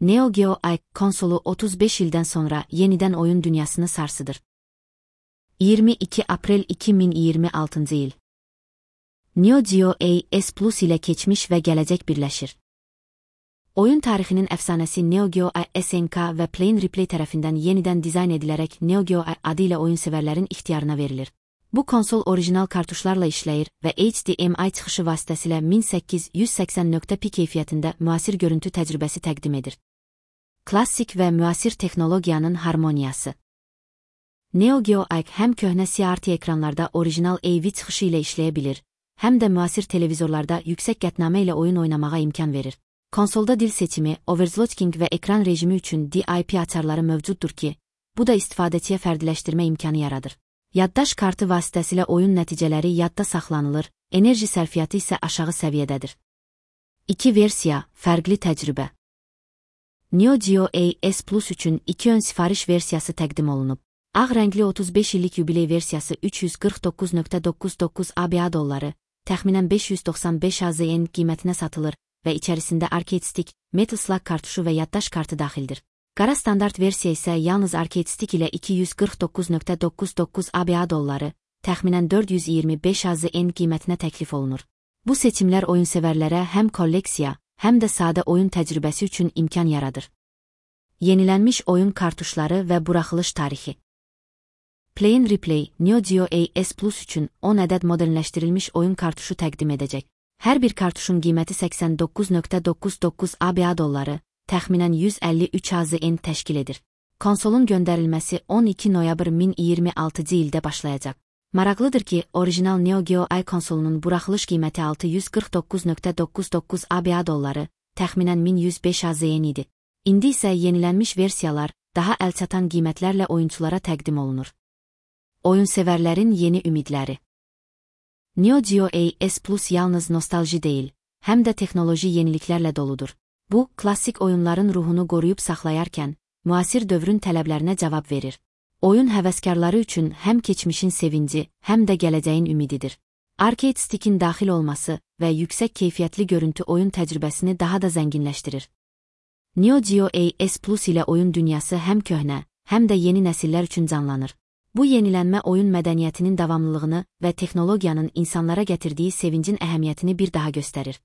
Neo Geo konsolu 35 ildən sonra yenidən oyun dünyasını sarsıdır. 22 Aprel 2026 il. Neo Geo S Plus ilə keçmiş və gələcək birləşir. Oyun tarixinin əfsanəsi Neo Geo SNK və Play Replay tərəfindən yenidən dizayn edilərək Neo Geo adı ilə oyunsevərlərin ixtiyarına verilir. Bu konsol orijinal kartuşlarla işləyir və HDMI çıxışı vasitəsilə 1880p keyfiyyətində müasir görüntü təcrübəsi təqdim edir. Klassik və müasir texnologiyanın harmoniyası. Neo Geo həm köhnə CRT ekranlarda orijinal AV çıxışı ilə işləyə bilir, həm də müasir televizorlarda yüksək qətnamə ilə oyun oynamağa imkan verir. Konsolda dil seçimi, overclocking və ekran rejimi üçün DIP açarları mövcuddur ki, bu da istifadəçiyə fərdiləşdirmə imkanı yaradır. Yaddaş kartı vasitəsilə oyun nəticələri yadda saxlanılır, enerji sərfiyyatı isə aşağı səviyyədədir. 2 versiya, fərqli təcrübə. Neo Geo S Plus üçün 2 ön sifariş versiyası təqdim olunub. Ağ rəngli 35 illik yubiley versiyası 349.99 ABA dolları, təxminən 595 AZN qiymətinə satılır və içərisində arcade stick, metal slug kartuşu və yaddaş kartı daxildir. Qara standart versiya isə yalnız arcade stick ilə 249.99 ABA dolları, təxminən 425 AZN qiymətinə təklif olunur. Bu seçimlər oyunsevərlərə həm kolleksiya, həm də sadə oyun təcrübəsi üçün imkan yaradır. Yenilənmiş oyun kartuşları və buraxılış tarixi. Play Replay, Neo Geo S Plus üçün 10 ədəd modernləşdirilmiş oyun kartuşu təqdim edəcək. Hər bir kartuşun qiyməti 89.99 ABA dolları, təxminən 153 AZN təşkil edir. Konsolun göndərilməsi 12 noyabr 2026 ildə başlayacaq. Maraqlıdır ki, orijinal Neo Geo konsolunun buraxılış qiyməti 649.99 ABA dolları, təxminən 1105 AZN idi. İndi isə yenilənmiş versiyalar daha əlçatan qiymətlərlə oyunçulara təqdim olunur. Oyunsevərlərin yeni ümidləri. Neo Geo S Plus yalnız nostalji deyil, həm də texnoloji yeniliklərlə doludur. Bu, klassik oyunların ruhunu qoruyub saxlayarkən, müasir dövrün tələblərinə cavab verir. Oyun həvəskarları üçün həm keçmişin sevinci, həm də gələcəyin ümididir. Arcade stickin daxil olması və yüksək keyfiyyətli görüntü oyun təcrübəsini daha da zənginləşdirir. Neo Geo S Plus ilə oyun dünyası həm köhnə, həm də yeni nəsillər üçün canlanır. Bu yenilənmə oyun mədəniyyətinin davamlılığını və texnologiyanın insanlara gətirdiyi sevincin əhəmiyyətini bir daha göstərir.